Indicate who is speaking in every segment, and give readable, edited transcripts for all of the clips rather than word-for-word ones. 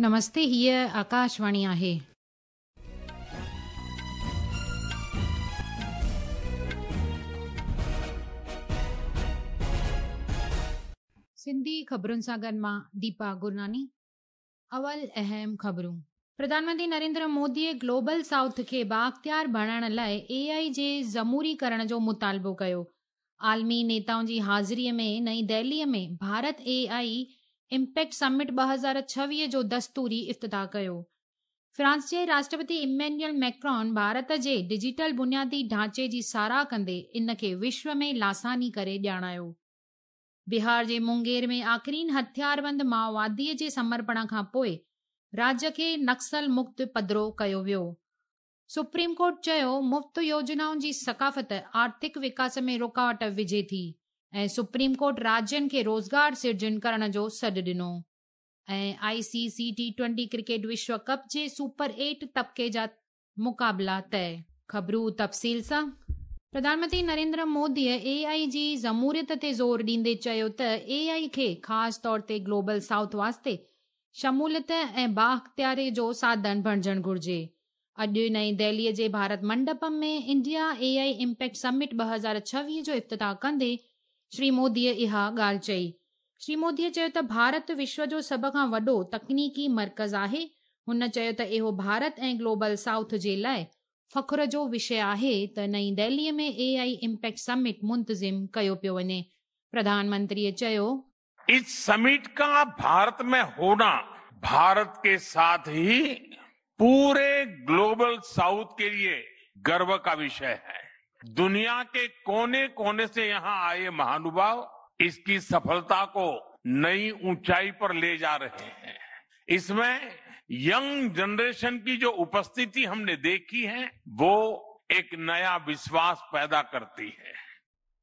Speaker 1: نمستي هيء آڪاشواڻي آهي. سنڌي خبرن سان گڏ مان ديپا گرناني. اول اهم خبرون. پرڌان منتري نريندر موديء گلوبل سائوٿ کي بااختيار بڻائڻ لاء اي آء جي جمهوري ڪرڻ جو مطالبو ڪيو. عالمي نيتائن جي حاضريء ۾ نئين دهليء ۾ ڀارت اي آء امپيڪٽ سمٽ 2026 جو دستوري افتتاح ڪيو. فرانس جي راشٽرپتي ايمينيول ميڪرون ڀارت جي ڊجيٽل بنيادي ڍانچي جي ساراهه ڪندي ان کي وشو ۾ لاثاني ڪري ڄاڻايو. بهار جي مونگير ۾ آخرين هٿياربند مائوواديء جي سمرپڻ کان پوء راجيه کي نڪسل مڪت پڌرو ڪيو ويو. سپريم ڪورٽ چيو مفت يوجنائن جي ثقافت آرٿڪ وڪاس ۾ رڪاوٽ وجهي ٿي ۽ سپريم ڪورٽ راجين کي روزگار سرجن ڪرڻ جو سڏ ڏنو ۽ آء سي سي ٽي ٽوئنٽي ڪرڪيٽ وشو ڪپ جي سپر ايٽ طبقي جا مقابلا طئي. خبرون تفصيل سان، پرڌان منتري نريندر موديء اي آء جي جمهوريت تي زور ڏيندي چيو ته اي آء کي خاص طور تي گلوبل سائوٿ واسطي شموليت ۽ بااختياري جو ساڌن بڻجڻ گهرجي. اڄ نئين دهليء جي ڀارت منڊپم ۾ انڊيا اي آء امپيڪٽ سمٽ 2026 جو افتتاح ڪندي شري موديء اها ڳالهه چئي. شري موديء چيو ته ڀارت وشو جو سڀ کان وڏو تڪنيڪي مرڪز آهي. هن چيو ته اهو ڀارت ۽ گلوبل سائوٿ جي لاء فخر جو وشي آهي ته نئين دهليء ۾ اي آء امپيڪٽ سمٽ منتظم ڪيو پيو وڃي. پرڌان منتريء چيو.
Speaker 2: اس سمٽ ڪا ڀارت ۾ هونا ڀارت ڪي ساٿ هي پوري گلوبل سائوٿ ڪي ليي گرو ڪا وشي هي. دنيا ڪي ڪوني ڪوني سي يهان آئي مهانوڀاو اس ڪي سڦلتا ڪو نئي اونچائي پر لي جا رهي هين. اس مين ينگ جنريشن ڪي جو اپسٿتي هم ني ديکي هي وو ايڪ نيا وشواس پيدا ڪرتي هي.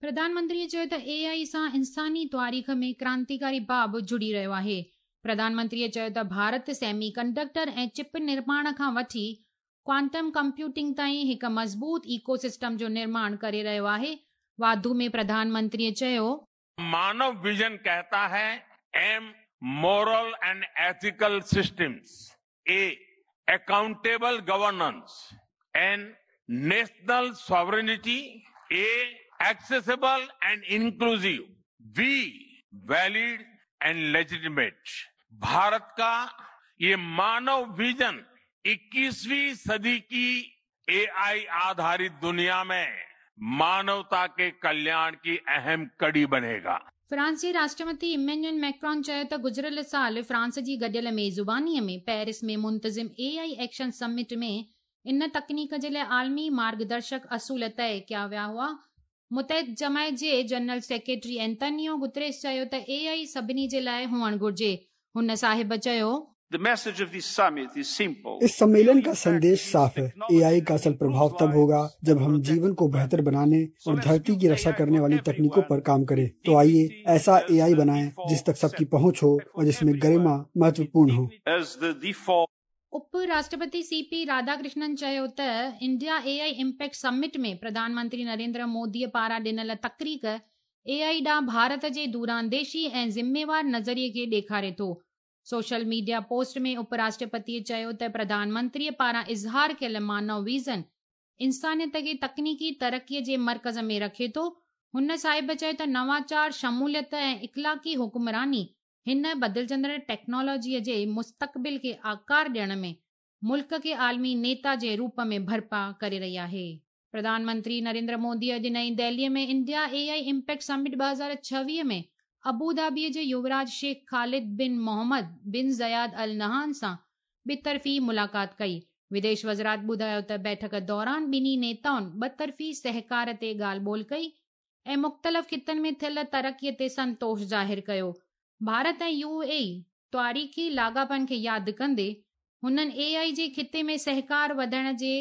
Speaker 1: پرڌان منتريء چيو ته اي آء سان انساني تواريخ ۾ ڪرانتيڪاري باب جڙي رهيو آهي. پرڌان منتريء چيو ته ڀارت سيمي ڪنڊڪٽر ۽ چپ نرماڻ کان وٺي ڪوانٽم ڪمپيوٽنگ تائين هڪ مضبوط ايڪو سسٽم جو نرماڻ ڪري رهيو آهي. واڌو ۾ پرڌان منتريء چيو.
Speaker 2: مانو ويزن ڪهتا هي M moral and ethical systems, A accountable governance, N national sovereignty, A accessible and inclusive, V valid and legitimate. Bharat ڪا يي مانو ويزن اڪيسوين صدي ڪي اي آء آڌارت دنيا ۾ مانوتا ڪي ڪلياڻ ڪي اهم ڪڙي بنيگا.
Speaker 1: فرانس جي راشٽرپتي ايمينيول ميڪرون چيو ته گذريل سال فرانس جي گڏيل ميزباني ۾ پيرس ۾ منتظم اي آء ايڪشن سمٽ ۾ ان تڪنيڪ جي لاء عالمي مارگدرشڪ اصول طئي ڪيا ويا هئا. متحد جماعت جي جنرل سيڪريٽري اينتونيو گوتريس چيو ته اي آء سڀني جي لاء هئڻ گهرجي. هن صاحب چيو.
Speaker 3: The message of this summit is simple.
Speaker 4: اس सम्मेलन का संदेश साफ है, एआई का असल प्रभाव तब होगा जब हम जीवन को बेहतर बनाने और धरती की रक्षा करने वाली तकनीकों पर काम करें। तो आइए ऐसा एआई बनाएं जिस तक सबकी पहुंच हो और जिसमें गरिमा महत्वपूर्ण हो।
Speaker 3: As the default.
Speaker 1: Up Rashtrapati C P Radhakrishnan چيو ته انڊيا اي آء امپيڪٽ سمٽ ۾ پرڌان منتري نريندر مودي پاران ڏنل تقرير اي آء ڏانهن ڀارت جي دورانديشي ۽ ذميوار نظريي کي ڏيکاري ٿو. Social media post ۾ up Rashtrapati چيو ته پرڌان منتري پاران اظهار ڪيل مانو ويزن انسانيت کي تڪنيڪي ترقي جي مرڪز ۾ رکي ٿو. هن صاحب چيو ته نواچار، شموليت ۽ اخلاقي حڪمراني هن بدلجندڙ ٽيڪنالاجيء جي مستقبل کي آڪار ڏيڻ ۾ ملڪ کي عالمي نيتا جي روپ ۾ ڀرپا ڪري رهي آهي. پرڌان منتري نريندر مودي اڄ نئين دهليء ۾ انڊيا اي آء امپيڪٽ سمٽ 2026 ۾ ابوڌابيء جي يووراج شيخ خالد بن محمد بن زياد النهان سان ٻطرفي ملاقات ڪئي. وديش وزارت ٻڌايو ته بيٺڪ دوران ٻنهي نيتائن ٻطرفي سهڪار تي ڳالهه ٻولهه ڪئي ۽ مختلف خطن ۾ ٿيل ترقي تي سنتوش ظاهر ڪيو. ڀارت ۽ يو اي اي تاريخي لاڳاپن کي ياد ڪندي هنن اي آء جي خطي ۾ سهڪار وڌائڻ جي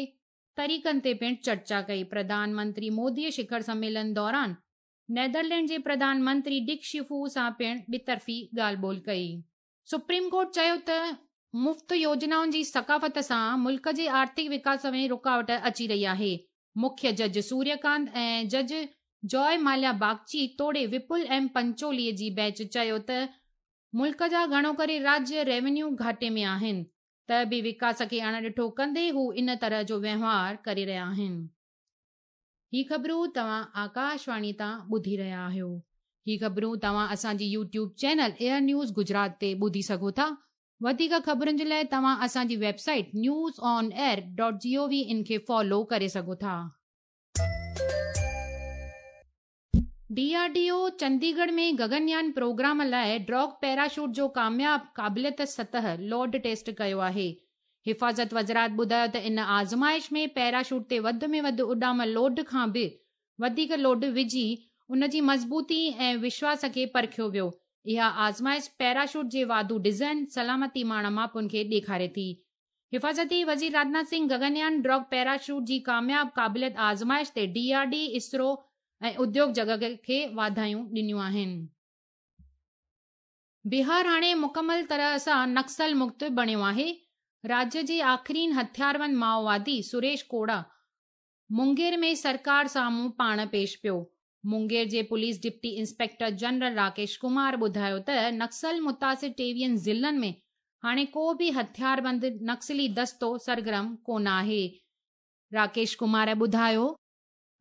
Speaker 1: طريقن تي پڻ چرچا ڪئي. پرڌان منتري مودي شکر سميلن دوران نيدرلينڊ جي پرڌان منتري ڊڪ شفو سان پڻ ٻطرفي ڳالهه ٻولهه ڪئي. سپريم ڪورٽ چيو ته مفت يوجنائن جي ثقافت سان ملڪ جي آرٿڪ وڪاس ۾ رڪاوٽ اچي رهي آهي. مکيه جج سوريه ڪانت ۽ جج جوء ماليا باگچي توڙي وپل ايم پنچولي جي بينچ چيو ته. ملڪ جا گهڻو ڪري راجيه ريونيو گهاٽي ۾ آهن ته به وڪاس کي اڻ ڏٺو ڪندي هو ان طرح جو وهنوار ڪري رهيا آهن. هي خبرون توهان آڪاشواڻي تان ٻڌي رهيا آهيو. هي خبرون توهان اسان جي YouTube channel AIR news Gujarat تي ٻڌي سگهو ٿا. وڌيڪ خبرن جي لاء توهان اسان جي website news on air dot G O V in کي فالو ڪري سگهو ٿا. D R D O Chandigarh ۾ Gaganyaan programme لاء ڊراگ پيراشوٽ جو ڪامياب قابليت سطح لوڊ ٽيسٽ ڪيو آهي. حفاظت وزارت ٻڌايو ته ان آزمائش ۾ پيراشوٽ تي وڌ ۾ وڌ اڏام لوڊ کان به وڌيڪ لوڊ وجهي ان جي مضبوطي ۽ وشواس کي پرکيو ويو. اها آزمائش پيراشوٽ جي واڌو ڊزائن سلامتي ماڻ ماپن کي ڏيکاري ٿي. حفاظتي وزير راجناٿ سنگهه گگنيان ڊرگ پيراشوٽ جي ڪامياب قابليت آزمائش تي ڊي آر ڊي، اسرو ۽ اديوگ جڳت کي واڌايون ڏنيون آهن. بهار هاڻي مڪمل طرح سان نڪسل مڪت بڻيو آهي. راجيه جي آخرين هٿياربند مائووادي سريش کوڙا مونگير ۾ سرڪار سامهون پاڻ پيش پيو. مونگير جي police deputy inspector general Rakesh Kumar ٻڌايو ته نڪسل متاثر ٽيويهن ضلعن ۾ هاڻي ڪو به هٿياربند نڪسلي دستو سرگرم ڪونه آهي. راڪيش ڪمار ٻڌايو.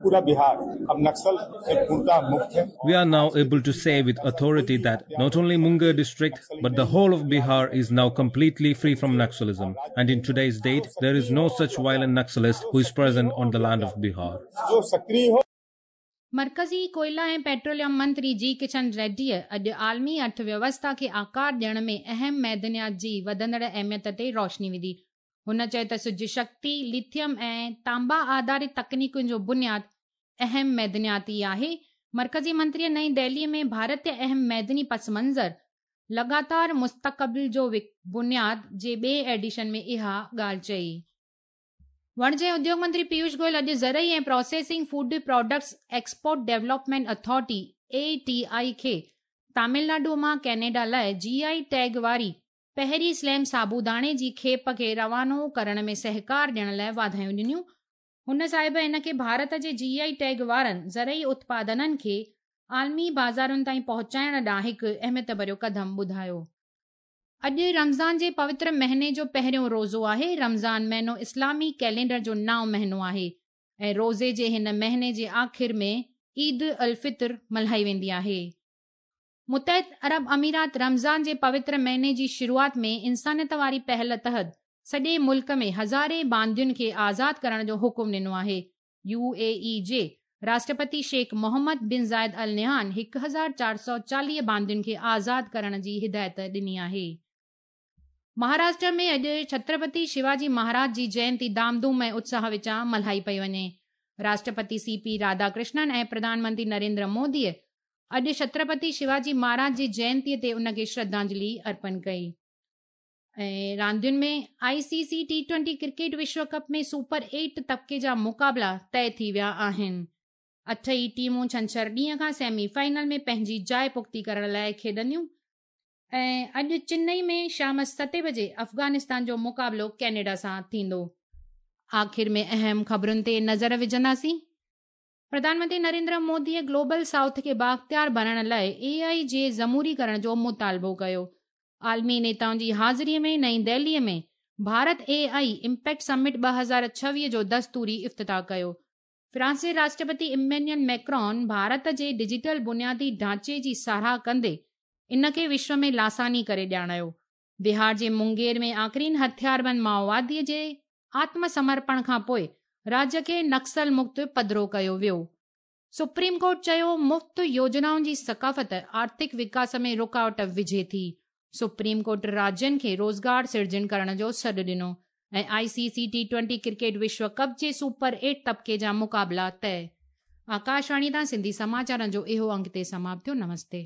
Speaker 5: پورا بهار اب نڪسل سي پورتا مڪت هي.
Speaker 6: We are now able to say with authority that not only Munger district but the whole of Bihar is now completely free from Naxalism and in today's date there is no such violent Naxalist who is present on the land of Bihar.
Speaker 5: جو سڪريه هو.
Speaker 1: مرڪزي ڪوئلا ۽ petroleum منتري جي ڪشن ريڊيء اڄ عالمي ارٿ ويوسٿا کي آڪار ڏيڻ ۾ اهم معدنيات جي وڌندڙ اهميت تي روشني وڌي. هن چيو ته سج شڪتي، ليٿيم ۽ تانبا آڌارت تڪنيڪن جو بنياد اهم معدنيات ئي آهي. مرڪزي منتريء نئين دهليء ۾ ڀارتي اهم معدني پس منظر، لڳاتار مستقبل جو بنياد جي ٻئي ايڊيشن ۾ اها ڳالهه چئي. وڻج ۽ اديوڳ منتري پيوش گويل اڄ زرعي ۽ processing food products export development authority, A T I, کي تامل ناڊو مان ڪينيڊا لاء جي I tag واري پهرين سليم سابوداڻي جي کيپ کي روانو ڪرڻ ۾ سهڪار ڏيڻ لاء واڌايون ڏنيون. هن صاحب ان کي ڀارت جي جي I tag وارن زرعي اتپادنن کي عالمي بازارن تائين پهچائڻ ڏانهن هڪ اهميت ڀريو قدم ٻڌايو. اڄ رمضان جي پوتر مهيني جو پهريون روزو آهي. رمضان مهينو اسلامي ڪئلينڊر جو نائون مهينو آهي ۽ روزي جي هن مهيني جي آخر ۾ عيد الفطر ملهائي ويندي آهي. متحده عرب امارات رمضان جي پوتر مهيني جي شروعات ۾ انسانيت واري پهل تحت سڄي ملڪ ۾ هزارين باندين کي آزاد ڪرڻ جو حڪم ڏنو آهي. يو اي اي جي راشٽرپتي شيخ محمد بن زايد النهيان 1440 باندين کي آزاد ڪرڻ جي هدايت ڏني آهي. مهاراشٽر ۾ اڄ ڇترپتي شيواجي مهاراج جي جينتي ڌام ڌوم ۽ اتساهه وچان ملهائي پئي وڃي. راشٽرپتي سي پي راڌا ڪرشنن ۽ پرڌان منتري نريندر موديء اڄ ڇترپتي شيواجي مهاراج جي جينتيء تي ان کي شرڌانجلي ارپڻ ڪئي. ۽ راندين ۾ I C C T twenty cricket Vishu cup ۾ super eight طبقي جا مقابلا طئي ٿي ويا آهن. اٺ ئي ٽيمون ڇنڇر ڏينهن کان سيمي فائنل ۾ پنهنجي جاء پختي ڪرڻ لاء کيڏنديون ۽ اڄ چنئي ۾ شام ستين بجي افغانستان جو مقابلو ڪينيڊا سان ٿيندو. آخر ۾ اهم خبرن تي نظر وجهنداسين. پرڌان منتري نريندر موديء گلوبل سائوٿ کي بااختيار بڻائڻ لاء اي آء جي جمهوري ڪرڻ جو مطالبو ڪيو. عالمي نيتائن جي حاضري ۾ نئين دهليء ۾ Bharat A I impact summit 2026 جو دستوري افتتاح ڪيو. فرانس جي راشٽرپتي ايمينيول ميڪرون ڀارت جي ڊجيٽل بنيادي ڍانچي جي ساراهه ڪندي ان کي وشو ۾ لاثاني ڪري ڄاڻايو. بهار جي مونگير ۾ آخرين هٿياربند مائووادي جي آتم سمرپڻ کان پوء راجيه کي نڪسل مڪت پڌرو ڪيو ويو. سپريم ڪورٽ چيو مفت يوجنائن جي ثقافت آرٿڪ وڪاس ۾ رڪاوٽ وجهي ٿي. سپريم ڪورٽ راجين کي روزگار سرجن ڪرڻ جو سڏ ڏنو ۽ I C C T twenty cricket وشو ڪپ جي سپر ايٽ طبقي جا مقابلا طئي. آڪاشواڻي تان سنڌي سماچارن جو اهو انگ هتي سماپت ٿيو. نمستي.